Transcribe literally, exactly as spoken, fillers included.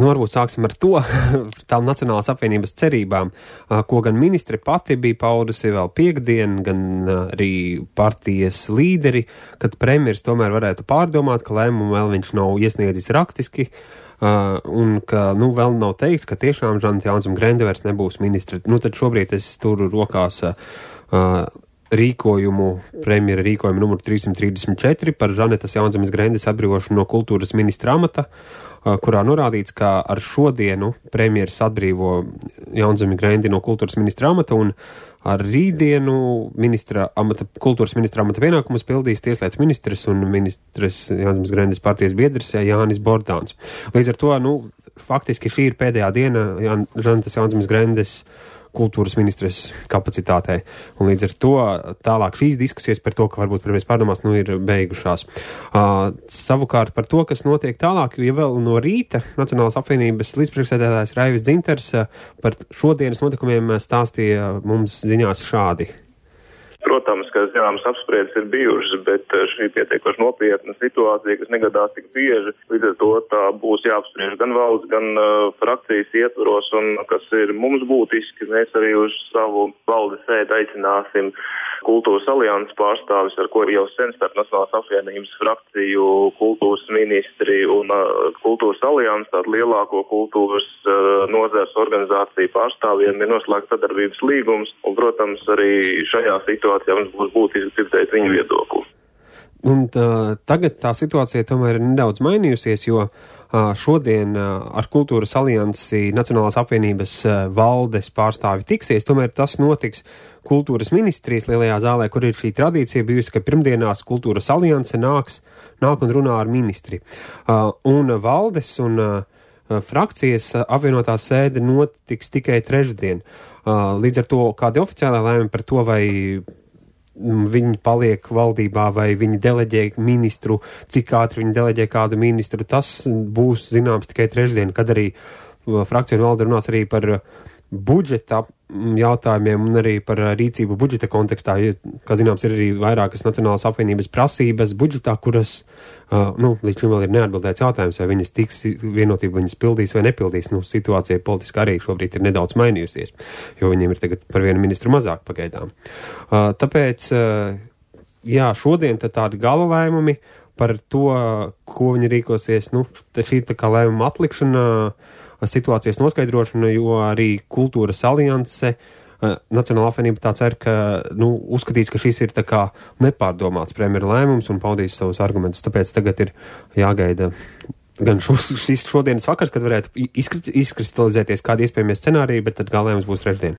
Nu, varbūt sāksim ar to, tām Nacionālās apvienības cerībām, ko gan ministre pati bija paudusi vēl piekdien, gan arī partijas līderi, kad premjeras tomēr varētu pārdomāt, ka lēmumu vēl viņš nav iesniedzis rakstiski, un ka, nu, vēl nav teikts, ka tiešām Žaneta Jaunzeme Grende vairs nebūs ministre. Nu, tad šobrīd es turu rokās rīkojumu, premjera rīkojumu numuru trīssimt trīsdesmit četri par Žanetas Jaunzemes Grendes atbrīvošanu no kultūras ministra amata, kurā norādīts, ka ar šodienu premjeras atbrīvo Jaunzemi Grendi no kultūras ministra amata un ar rītdienu ministra amata, kultūras ministra amata pienākumus pildīs tieslietu ministres un ministres Jaunzemes Grendes partijas biedrs Jānis Bordāns. Līdz ar to, nu, faktiski šī ir pēdējā diena Žanetas Jaunzemes Grendes kultūras ministres kapacitātei. Un līdz ar to tālāk šīs diskusijas par to, ka varbūt premjeras pārdomās, nu, ir beigušās. Uh, savukārt par to, kas notiek tālāk, jo vēl no rīta Nacionālās apvienības līdzpriekšsēdētājs Raivis Dzinters uh, par šodienas notikumiem stāstīja mums ziņās šādi. Protams, ka zināmas apspriedes ir bijušas, bet šī pietiekoši nopietna situācija, kas negadās tik bieži, līdz ar to tā būs jāapspriež gan valsts, gan uh, frakcijas ietvaros, un kas ir mums būtiski, mēs arī uz savu valdes sēdi aicināsim kultūras alianses pārstāvis, ar ko ir jau sen starp Nacionālās apvienības frakciju, kultūras ministri un uh, kultūras alianses, tādu lielāko kultūras uh, nozares organizāciju pārstāvjiem ir noslēgts sadarbības līgums, un, protams, arī šajā situācijā mums būs būtiski dzirdēt viņu viedokli. Un tā, tagad tā situācija tomēr ir nedaudz mainījusies, jo šodien ar Kultūras aliansi Nacionālās apvienības valdes pārstāvi tiksies, tomēr tas notiks kultūras ministrijas lielajā zālē, kur ir šī tradīcija bijusi, ka pirmdienās Kultūras alianse nāks, nāk un runā ar ministri. Un valdes un frakcijas apvienotā sēde notiks tikai trešdien. Līdz ar to kādi oficiālā lēmumi par to, vai viņi paliek valdībā vai viņi deleģē ministru, cik ātri viņi deleģē kādu ministru, tas būs zināms tikai trešdien, kad arī frakcija un valde runās arī par budžeta jautājumiem un arī par rīcību budžeta kontekstā. Kā zināms, ir arī vairākas Nacionālās apvienības prasības budžetā, kuras, uh, nu, līdz šim vēl ir neatbildēts jautājums, vai viņas tiks vienotība, viņas pildīs vai nepildīs. Nu, situācija politiski arī šobrīd ir nedaudz mainījusies, jo viņiem ir tagad par vienu ministru mazāk pagaidām. Uh, tāpēc, uh, jā, šodien tad tādi gala lēmumi par to, ko viņi rīkosies, nu, šī tā kā lēmuma atlikšana, situācijas noskaidrošana, jo arī Kultūras alianse, Nacionālā apvienība tā cer, ka, nu, uzskatīs, ka šis ir tā kā nepārdomāts premjera lēmums un paudīs savus argumentus, tāpēc tagad ir jāgaida gan šis šodienas vakars, kad varētu izkristalizēties kādi iespējamie scenāriji, bet tad galējums būs trešdien.